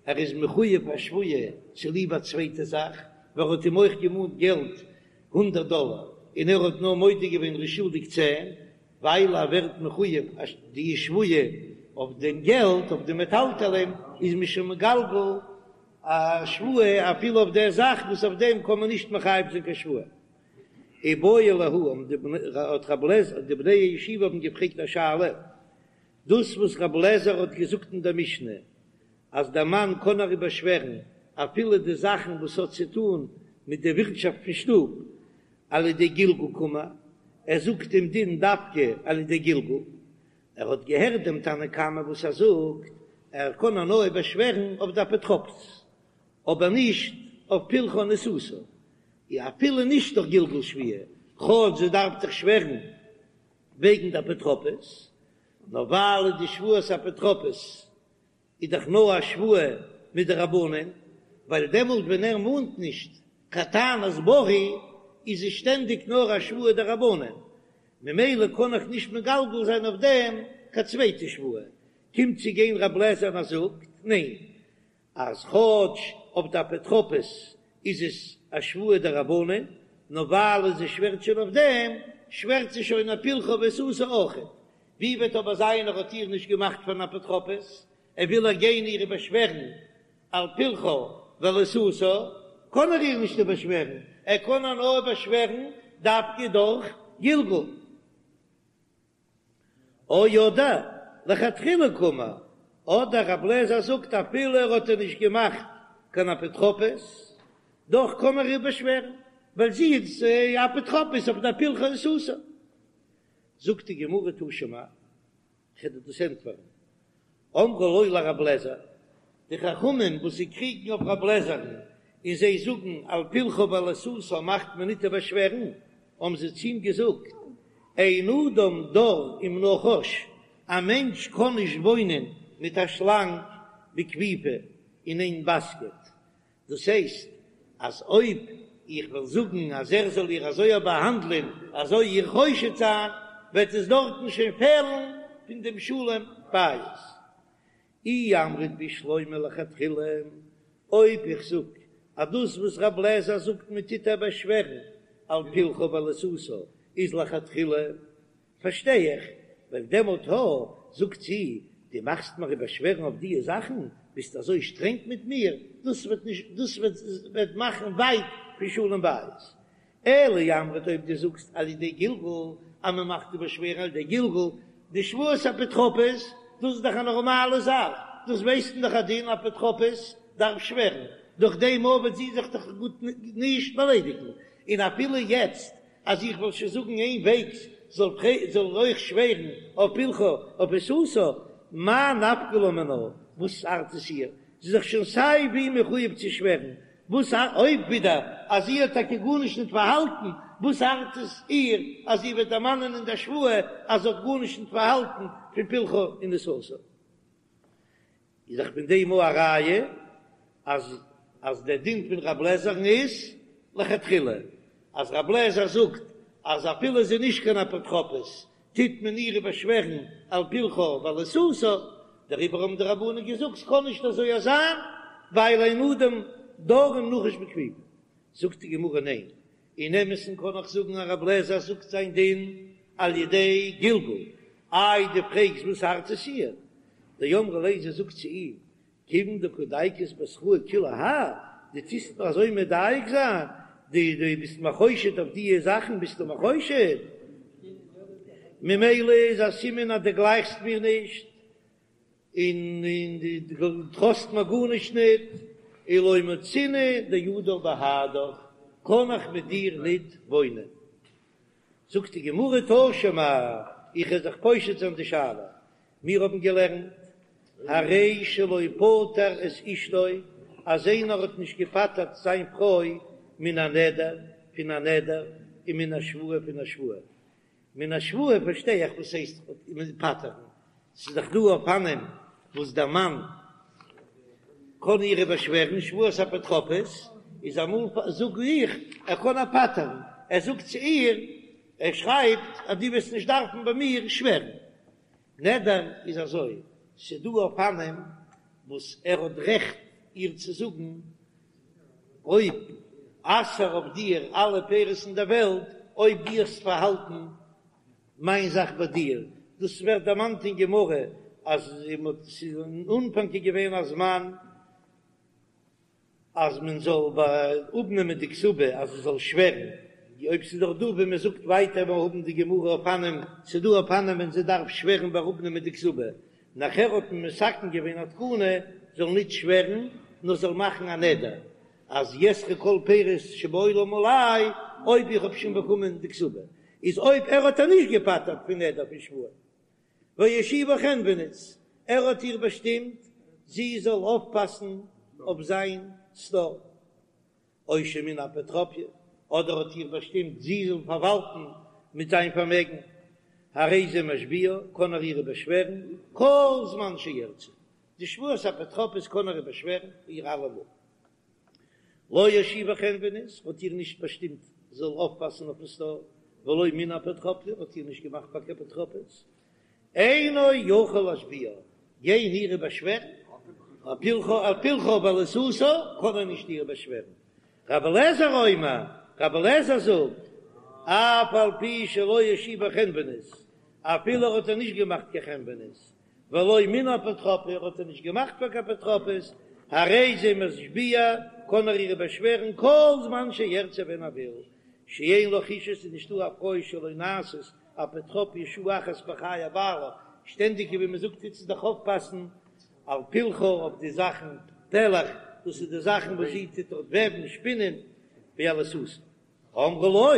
ער איז מחויב א שבועה צוליב א צווייטע זאך, ווייל ער האט אים אויך געמאנט געלט הונדרעט דאלער און ער האט נאר מודה געווען ער איז שולדיג צען, ווייל ער ווערט מחויב די שבועה. אויף דעם געלט, אויף די מטלטלין, איז מען שוין מגלגל א שבועה אפילו אויף דער זאך וואס אויף דעם קען מען נישט מחייב זיין קיין שבועה. איבעיא להו, האבן די בני, האט רב לעזער, די בני הישיבה האבן געפרעגט א שאלה, דאס וואס רב לעזער האט געזאגט אין דער משנה אז דער מאן קען איר באשווערן אפילו די זאכן וואס האט צו טאן מיט די ווירטשאפט פון שטוב על ידי גלגול קאמר, ער זאגט דעם דין דווקא על ידי גלגול, ער האט געהערט דעם תנא קמא וואס ער זאגט ער קען איר נאר באשווערן אויף די אפוטרופוס אבער נישט אויף פלחה ועיסתה, אפילו נישט דורך גלגול שבועה, כאטש זי דארף דאך שווערן וועגן די אפוטרופוס, נאר ווייל די שבועת אפוטרופוס איז דאך נאר א שבועה מדרבנן, ווייל דעמאלט ווען ער מאנט נישט קיין טענת ברי איז עס שטענדיג נאר א שבועה דרבנן, ממילא קען איך נישט מגלגל זיין אויף דעם קיין צווייטע שבועה, קומט צו גיין רב לעזער און ער זאגט ניין, אז כאטש אויף די אפוטרופוס איז עס א שבועה דרבנן, נאר ווייל זי שווערט שוין אויף דעם, שווערט זי שוין אויף פלחה ועיסתה אויכעט. ווי וועט אבער זיין ער האט איר נישט געמאכט פארן אפוטרופוס, ער וויל איר גיין איר באשווערן על פלחה ועל עיסתה, קען ער איר נישט באשווערן, ער קען איר נאר באשווערן דווקא דורך גלגול. או אדער לכתחילה קאמר, אדער רב לעזער זאגט אפילו ער האט איר נישט געמאכט קיין אפוטרופוס, דאך קען ער איר באשווערן, ווייל זי איז אפוטרופוס אויף די פלחה ועיסתה. זאגט די גמרא תא שמע, כ'וועל דיר דאס ענטפערן, אמרו לו לרב לעזער, די חכמים וואס זיי קריגן אויף רב לעזער'ן און זיי זאגן על פלחה ועל עיסתה מאכט מען ניט באשווערן, האבן זיי צו אים געזאגט, אין אדם דר עם נחש, א מענטש קען נישט וואוינען מיט א שלאנג בכפיפה אין איין באסקעט, דאס הייסט אז אויב איך וועל זאגן אז ער זאל איר אזוי באהאנדלען אזוי איר חושד זיין, וועט עס דארטן שוין פעלן פון דעם שלום בית. אי אמרת בשלמא לכתחילה, אויב איך זאג אז דאס וואס רב לעזער זאגט מען טוט איר באשווערן על פלחה ועל עיסתה איז לכתחילה, פארשטיי איך, ווייל דעמאלט הא, זאגט זי, דו מאכסט מיר באשווערן אויף דיע זאכן, ביסט אזוי שטרענג מיט מיר, דאס וועט נישט, דאס וועט וועט מאכן ווייט פון שלום בית. אלא אי אמרת אויב דו זאגסט על ידי גלגול, אז מען מאכט די באשווערן על ידי גלגול, די שבועת אפוטרופוס, דאס איז דאך א נארמאלע זאך, דאס ווייסט מען דאך א דין אפוטרופוס דארף שווערן, דורך דעם וועט זי זיך דאך גוט נישט באליידיגן, און אפילו יעצט אז איך וועל שוין זאגן איין וועגס זאל זאל אויך שווערן אויף פלחה אויף עיסתה, מאי נפקא לה מינה, וואס ארט עס איר, זי איז דאך שוין סיי ווי מחויב צו שווערן, וואס אויב ווידער אז זי האט טאקע גארנישט ניט פארהאלטן, וואס ארט עס איר אז זי וועט דערמאנען אין דער שבועה אז זי האט גארנישט ניט פארהאלטן פון פלחה און עיסתה? איז דאך פון דעם א ראיה אז אז דער דין פון רב לעזער'ן איז לכתחילה, אז רב לעזער זאגט אז אפילו זי איז נישט קיין אפוטרופוס טוט מען איר באשווערן על פלחה ועל עיסתה, דעריבער האבן די רבנן געזאגט ס'קען נישט אזוי זיין ווייל אין אדם דר עם נחש בכפיפה. זאגט די גמרא ניין, אין אמת'ן קען איך זאגן אז רב לעזער זאגט זיין דין על ידי גלגול, איי דו פרעגסט וואס ארט עס איר? דאמרה ליה זי זאגט צו אים, כיוון דקא דייקת בתראי כולי האי, דו טוסט מיר אזוי מדייק זיין, דו דו ביסט מיר חושד אויף דיע זאכן ביסטו מיר חושד, ממילא איז א סימן אז דו גלייכסט מיר נישט, און און דו טראסט מיר גארנישט ניט, און לא מצינא דאדור בהדך, קען איך מיט דיר ניט וואוינען. זאגט די גמרא תא שמע, איך וועל זיך פושט זיין די שאלה, מיר האבן געלערנט, הרי שלא פטר את אשתו, אז איינער האט נישט געפטר'ט זיין פרוי מן הנדר, פון א נדר, און מן השבועה, פון א שבועה. מן השבועה פארשטיי איך וואס הייסט פטר'ן, ס'איז דאך דא אופנים וואס דער מאן קען איר באשווערן שבועת אפוטרופוס, איז אמאל זאג איך ער קען איר פטר'ן, ער זאגט צו איר, ער שרייבט אז דו וועסט נישט דארפן ביי מיר שווערן. נדר איז אזוי, ס'איז דא אופנים וואס ער האט רעכט איר צו זאגן, אויב אסר אויף דיר אלע פירות אין דער וועלט, אויב דו האסט פארהאלטן מיין זאך ביי דיר, דאס ווערט דערמאנט אין גמרא. אז ס'איז אין אנפאנג איז געווען א זמן אז מען זאל אפנעמען די כתובה אז זי זאל שווערן, אויב ס'איז דאך דא ווי מען זאגט ווייטער מיר האבן די גמרא אופנים, ס'איז דא אופנים ווען זי דארף שווערן ביי אראפנעמען די כתובה, נאכער האט מען מתקן געווען א תקנה זאל ניט שווערן נאר זאל מאכן א נדר אז יאסרו כל פירות שבעולם עלי אויב איך האב שוין באקומען די כתובה, איז אויב ער האט איר נישט געפטר'ט פון נדר פון שבועה. והושיבה חנוינית, ער האט איר באשטימט זי זאל אויפפאסן אויף זיין סטאר, או שמינה אפוטרופיא, אדער האט איר באשטימט זי זאל פארוואלטן מיט זיין פארמעגן, הרי זה משביעה, קען ער איר באשווערן כל זמן שירצה, די שבועת אפוטרופוס קען ער באשווערן איר אלעמאל. לא הושיבה חנוינית, האט איר נישט באשטימט זאל אויפפאסן אויפן סטאר, ולא מינה אפוטרופיא, האט איר נישט געמאכט פאר קיין אפוטרופוס, אינו יכול להשביעה, גיין איר באשווערן, על פלחה על פלחה ועל עיסתה קען ער נישט איר באשווערן. רבי אליעזר אומר, רבי אליעזר זאגט, אף על פי שלא הושיבה חנוינית, אפילו האט ער נישט געמאכט קיין חנוינית, ולא מינה אפוטרופיא האט ער נישט געמאכט פאר קיין אפוטרופוס, הרי זה משביע, קען ער איר באשווערן כל זמן שירצה ווען ער וויל, שאין לך אשה ס'איז נישטא א פרוי שלא נעשית אפוטרופיא שעה אחת בחיי בעלה, שטענדיג ווי מען זאגט טוט זי דאך אויפפאסן על פלחה אויף די זאכן פלך, דאס איז די זאכן וואס זי טוט דארט וועבן, שפינען, ועל עיסתה. אמרו לו,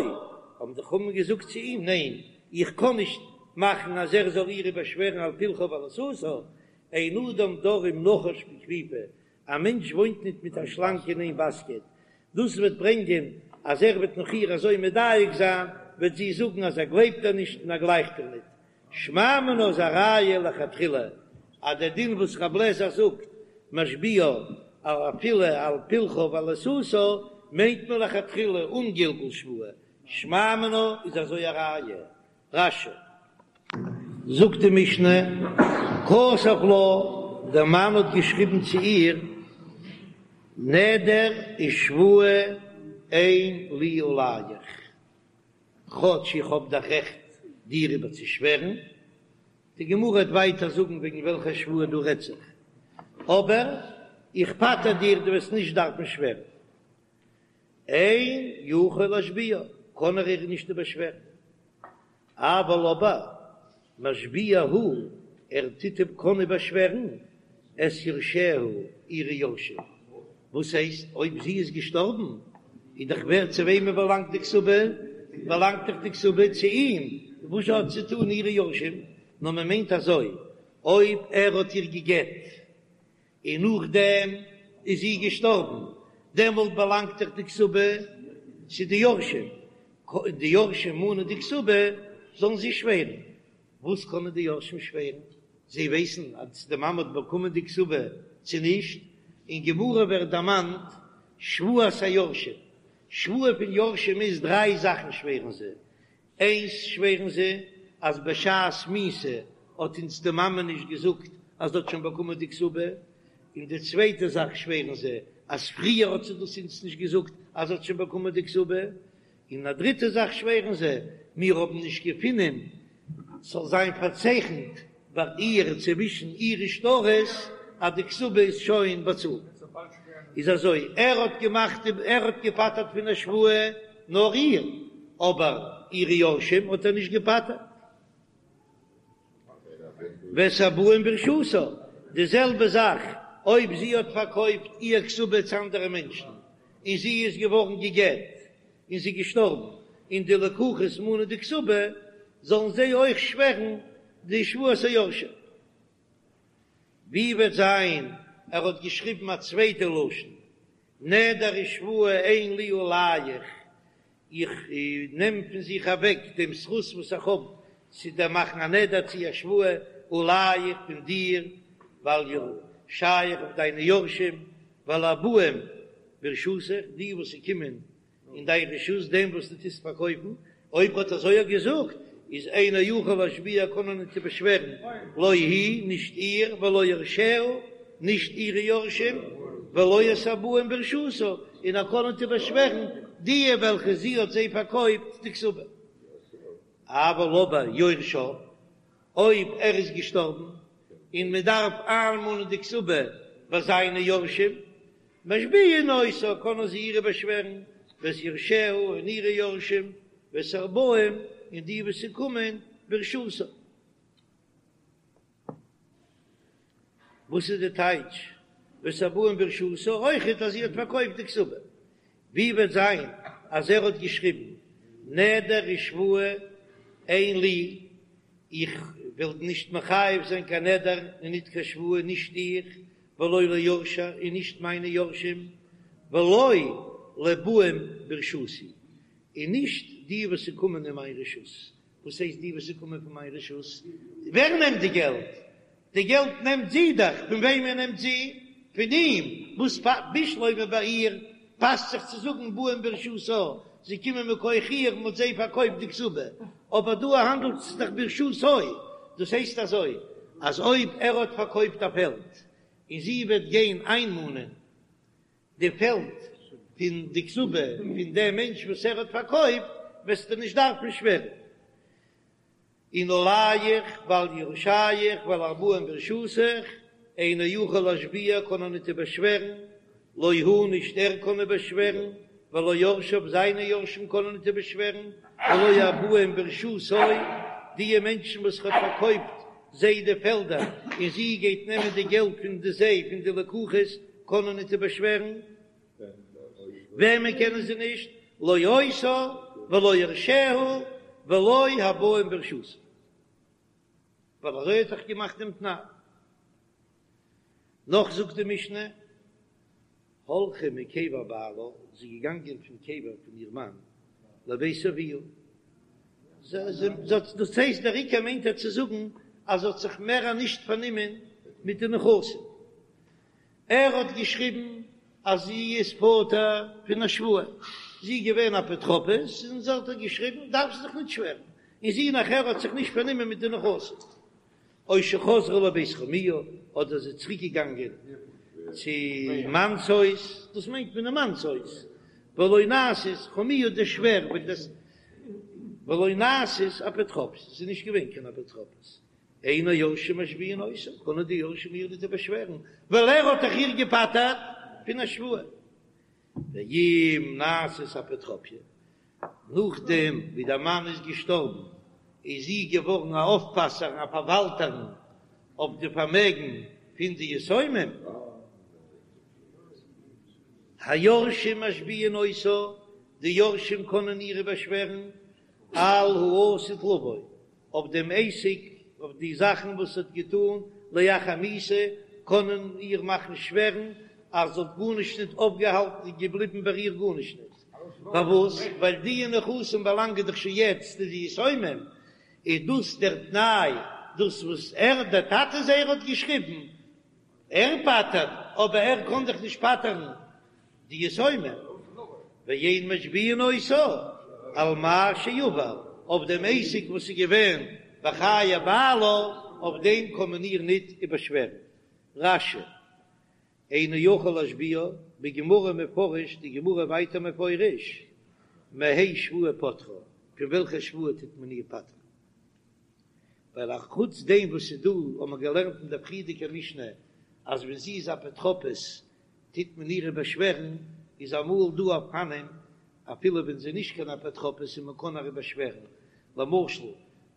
האבן די חכמים געזאגט צו אים, ניין, איך קען נישט מאכן אז ער זאל איר באשווערן על פלחה ועל עיסתה, אין אדם דר עם נחש בכפיפה, א מענטש וואוינט ניט מיט א שלאנג אין איין באסקעט, דאס וועט ברענגען אז ער וועט נאך איר אזוי מדייק זיין, וועט זי זאגן אז ער גלייבט איר נישט און ער גלייכט איר ניט. שמע מינה איז א ראיה לכתחילה אז דער דין וואס רב לעזער זאגט משביעה אפילו על פלחה ועל עיסתה מיינט מען לכתחילה אן גלגול שבועה, שמע מינה איז אזוי א ראיה. רש"י. זאגט די משנה, כתב לה, דער מאן האט געשריבן צו איר, נדר ושבועה אין לי עליך. כאטש איך האב דאך רעכט דיר איבערצושווערן, די גמרא וועט ווייטער זאגן וועגן וועלכע שבועה דא רעדט זיך, אבער איך פטר דיר, דו וועסט נישט דארפן שווערן. אין יכול להשביעה, קען ער איר נישט איבערשווערן. אבל אבער משביע הוא, ער טוט אים קען איבערשווערן את יורשיה, אירע יורשים. וואס הייסט אויב זי איז געשטארבן איז דאך ווער צו וועמען באלאנגט די כתובה? באלאנגט דאך די כתובה צו אים, וואס האט צו טון אירע יורשים? נאר מען מיינט אזוי, אויב ער האט איר גע'גט און נאכדעם איז זי געשטארבן, דעמאלט באלאנגט דאך די כתובה צו די יורשים, די יורשים מאנען די כתובה, זאלן זיי שווערן. וואס קענען די יורשים שווערן? זיי ווייסן אז די מאמע האט באקומען די כתובה צו נישט? אין גמרא ווערט דערמאנט שבועת היורשים, שבועה פון יורשים איז דריי זאכן שווערן זיי, איינס שווערן זיי אז בשעת מיתה האט אונז די מאמע נישט געזאגט אז זי האט שוין באקומען די כתובה, און די צווייטע זאך שווערן זיי אז פריער האט זי דאס אונז נישט געזאגט אז זי האט שוין באקומען די כתובה, און א דריטע זאך שווערן זיי, מיר האבן נישט געפונען ס'זאל זיין פארצייכנט ביי איר צווישן אירע שטרות אז די כתובה איז שוין באצאלט. איז אזוי, ער האט געמאכט ער האט געפטר'ט פון א שבועה נאר איר, אבער אירע יורשים האט ער נישט געפטר'ט. ואת הבאים ברשותה, די זעלבע זאך אויב זי האט פארקויפט איר כתובה צו אנדערע מענטשן און זי איז געווארן גע'גט און זי געשטארבן און די לקוחות מאנען די כתובה, זאלן זיי אויך שווערן די שבועת היורשים. ווי וועט זיין ער האט געשריבן א צווייטע לשון, נדר ושבועה אין לי עליך, איך נעם פון זיך אוועק דעם זכות וואס איך האב צו דיר מאכן א נדר צו א שבועה, עליך פון דיר, ועל יורשיך אויף דיינע יורשים, ועל הבאים ברשותך, די וואס ס'קומען אין דיין רשות דעם וואס דו טוסט פארקויפן, אויב האט אזוי ער געזאגט, איז אינו יכול להשביע קען ער ניט באשווערן, לא היא, נישט איר, ולא יורשיה, נישט אירע יורשים, ולא את הבאים ברשותה, און ער קען ניט באשווערן די וועלכע זי האט זיי פארקויפט די כתובה. אבל אבער יורשה, אויב ער איז געשטארבן. און מען דארף איינמאנען די כתובה ביי זיינע יורשים, משביעין אותה קענען זיי איר באשווערן, ואת יורשיה און אירע יורשים, ואת הבאים און די וואס ס'קומען ברשותה. וואס איז די טייטש ואת הבאים ברשותה? אויכעט אז זי האט פארקויפט די כתובה. ווי וועט זיין אז ער האט געשריבן נדר ושבועה אין לי, איך וועל נישט מחייב זיין קיין נדר און ניט קיין שבועה, נישט איך, ולא ליורשי און נישט מיינע יורשים, ולא לבאים ברשותי, און נישט די וואס ס'קומען אין מיין רשות. וואס הייסט די וואס ס'קומען פון מיין רשות? ווער נעמט די געלט? די געלט נעמט זי דאך, פון וועמען נעמט זי? פון אים, וואס בשלמא ביי איר פאסט זיך צו זאגן באים ברשותה, זיי קומען מכח איר, מ'האט זיי פארקויפט די כתובה, אבער דא האנדלט עס זיך ברשותו, דאס הייסט אזוי, אז אויב ער האט פארקויפט א פעלד, און זי וועט גיין איינמאנען די פעלד פון די כתובה פון דעם מענטש וואס ער האט פארקויפט, וועסטו נישט דארפן שווערן. און עליך ועל יורשיך ועל הבאים ברשותך, אינו יכול להשביע קען ער ניט איבערשווערן, לא הוא נישט ער קען איבערשווערן, ולא יורשיו זיינע יורשים קענען ניט איבערשווערן, ולא הבאים ברשותו, דיע מענטשן וואס ער האט פארקויפט זיי די פעלדער און זי גייט נעמען די געלט פון די זיי פון די לקוחות קענען ניט איבערשווערן. וועמען קענען זיי נישט? לא אותה ולא יורשיה ולא הבאים ברשותה, ווייל אזוי האט זיך געמאכט דעם תנאי. נאך זאגט די משנה, הלכה מקבר בעלה, זי איז געגאנגען פון קבר פון איר מאן לבית אביה, דאס הייסט דער עיקר מיינט ער צו זאגן אז זי האט זיך מער נישט פארנומען מיט די נכסים. ער האט געשריבן אז זי איז פטור פון א שבועה, זי איז געווען אפוטרופוס און זי האט געשריבן דארף זי זיך נישט שווערן, און זי נאכער האט זיך נישט פארנומען מיט די נכסים, או שחזרה לבית חמיה, אדער זי איז צוריק געגאנגען צו מאנ'ס הויז, דאס מיינט מען די מאנ'ס הויז, ולא נעשית חמיה די שווער, ולא נעשית אפוטרופוס, זי איז נישט געווען קיין אפוטרופוס, אין היורשים משביעין אותה, קענען די יורשים איר ניט באשווערן, ווייל ער האט דאך איר געפטר'ט פון א שבועה. ואם נעשית אפוטרופיא, נאכדעם ווי דער מאן איז געשטארבן, איז זי געווארן א אויפפאסער, א פארוואלטערין אויף די פארמעגן פון די יתומים. היורשים משביעין אותה, די יורשים קענען איר באשווערן, על העתיד לבוא, אויף דעם עסק, אויף די זאכן וואס זי האט געטאן לאחר מיתה, קענען איר מאכן שווערן אז זי האט גארנישט ניט אויפגעהאלטן און געבליבן ביי איר גארנישט ניט. פארוואס? ווייל די נכסים באלאנגען דאך שוין יעצט צו די יתומים, איז דאס דער תנאי, דאס וואס ער, דער טאטע זייער האט געשריבן, ער פטר'ט, אבער ער קען דאך נישט פטר'ן די יתומים, ואין משביעין אותה על מה שעבר, אויף דעם עסק וואס איז געווען בחיי בעלה, אויף דעם קען מען איר ניט איבערשווערן. רש"י, אינו יכול להשביעה, בגמרא מפרש, די גמרא ווייטער מפרש, מהאי שבועה פוטרה, פון וועלכע שבועה טוט מען איר פטר'ן? ווייל א חוץ דעם וואס איז דא, האט מען געלערנט אין דער פריערדיגער משנה, אז ווען זי איז אפוטרופוס טוט מען איר איבערשווערן, איז אמאל דא אופנים אפילו ווען זי איז נישט קיין אפוטרופוס און מען קען איר איבערשווערן, למשל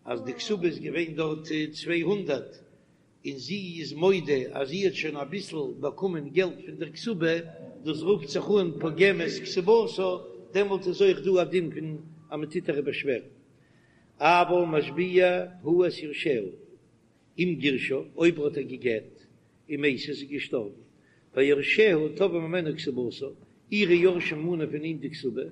אז די כתובה איז געווען דארט 200 און זי איז מודה אז זי האט שוין אביסל באקומען געלט פון דער כתובה, דאס רופט זיך אן פוגמת כתובתה, דעמאלט איז אויך דא א דין פון אז מען טוט איר איבערשווערן. אבל משביע הוא את יורשיה. אם גירשה, אויב ער האט איר גע'גט, ומתה זי איז געשטארבן, ויורשיה תובעים ממנה כתובתה, אירע יורשים מאנען פון אים די כתובה,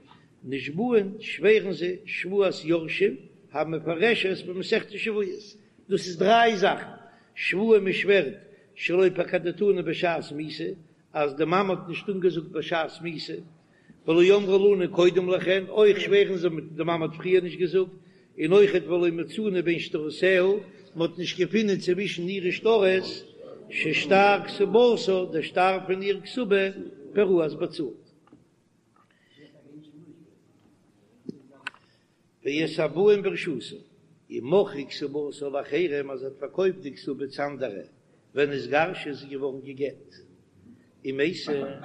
נשבעין, שווערן זיי, שבועת יורשים, המפורשת במסכת שבועות, דאס איז דריי זאכן, שבועה מען שווערט שלא פקדתנו בשעת מיתה, אז די מאמע האט נישט אנגעזאגט בשעת מיתה, ולא אמרה לנו קודם לכן, אויך שווערן זיי מיט די מאמע האט פריער נישט געזאגט, און אויכעט ולא מצינו בין שטרותיה, מען האט נישט געפונען צווישן אירע שטרות, ששטר כתובתה, דער שטר פון איר כתובה, פערוע איז באצאלט. ואת הבאים ברשותה, אם מכרה כתובתה לאחרים אז זי האט פארקויפט די כתובה צו אנדערע. ונתגרשה איז זי געווארן גע'גט ומתה,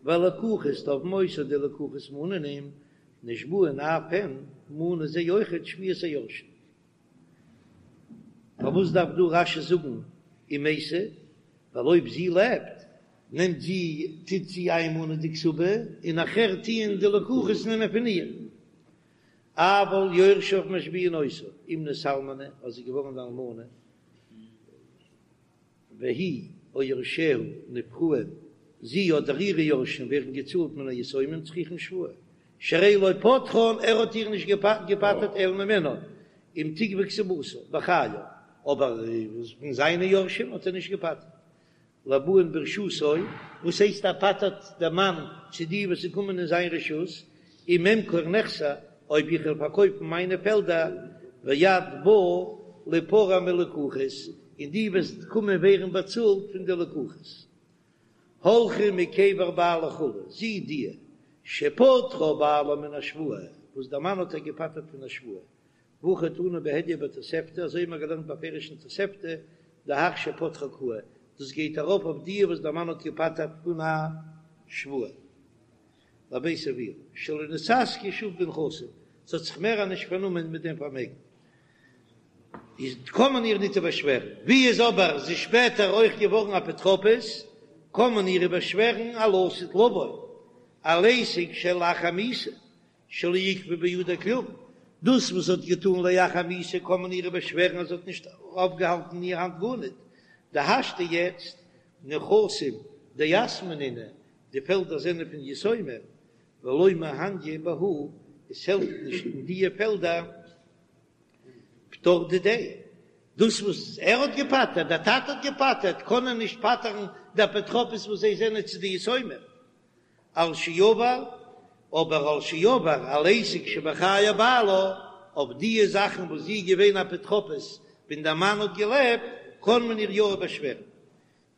והלקוחות תובעין אותה די לקוחות מאנען נשבעין אף הן מאנען זיי אויכעט שבועת היורשים. פארוואס דארף דא רש"י זאגן ומתה? ווייל אויב זי לעבט נעמט זי טוט זי איינמאנען די כתובה און נאכער טוען די לקוחות נעמען פון איר. אבל יורשיו משביעין אותה אם נתאלמנה אז זי איז געווארן אן אלמנה והיא או יורשיה נפרעין, זי אדער אירע יורשים ווערן געצאלט מן היתומים צריכין שבועה, שהרי לא פטרן, ער האט איר נישט געפטר'ט אלא ממנה, אם תגבה כתובתה בחייו, אבער פון זיינע יורשים האט ער נישט געפטר'ט. לבאין ברשותו, וואס הייסט ער פטר'ט דער מאן צו די וואס קומען אין זיין רשות, אם אמכור נכסי, אויב איך וועל פארקויפן מיינע פעלדער, ואת באה ליפרע מלקוחות, און דו וועסט קומען ווערן באצאלט פון די לקוחות. הלכה מקבר בעלה כו', זי די, שפטרה בעלה מן השבועה, וואס דער מאן האט איר געפטר'ט פון א שבועה, והכי תנא בהדיא בתוספתא, אזוי האבן מיר געלערנט בפירוש אין תוספתא, דהך שפטרה קאי, דאס גייט ארויף אויף די וואס דער מאן האט געפטר'ט פון א שבועה. לבית אביה, שלא נתעסקה שוב בנכסים, זי האט זיך מער נישט פארנומען מיט דעם פארמעגן, איז קען מען איר ניט איבערשווערן, ווי איז אבער זי שפעטער אויך געווארן אפוטרופוס, קען מען איר איבערשווערן על העתיד לבוא, על עסק שלאחר מיתה, שלא עיכבה בידה כלום, דאס וואס זי האט געטאן לאחר מיתה קען מען איר איבערשווערן אז זי האט נישט אויפגעהאלטן אין איר האנט גארניט, דהשתא יעצט נכסים דיתמי נינהו, די פעלדער זענען פון יתומים, ולא מהניא בהו, עס העלפט נישט אין דיע פעלדער פטור דידיה, דאס וואס ער האט געפטר'ט, דער טאטע האט געפטר'ט, קען ער נישט פטר'ן די אפוטרופוס וואס זיי זענען צו די יתומים. על שעבר, אבער על שעבר על עסק שבחיי בעלה, אויף דיע זאכן וואס זי איז געווען אפוטרופוס ווען דער מאן האט געלעבט, קען מען איר יא באשווערן.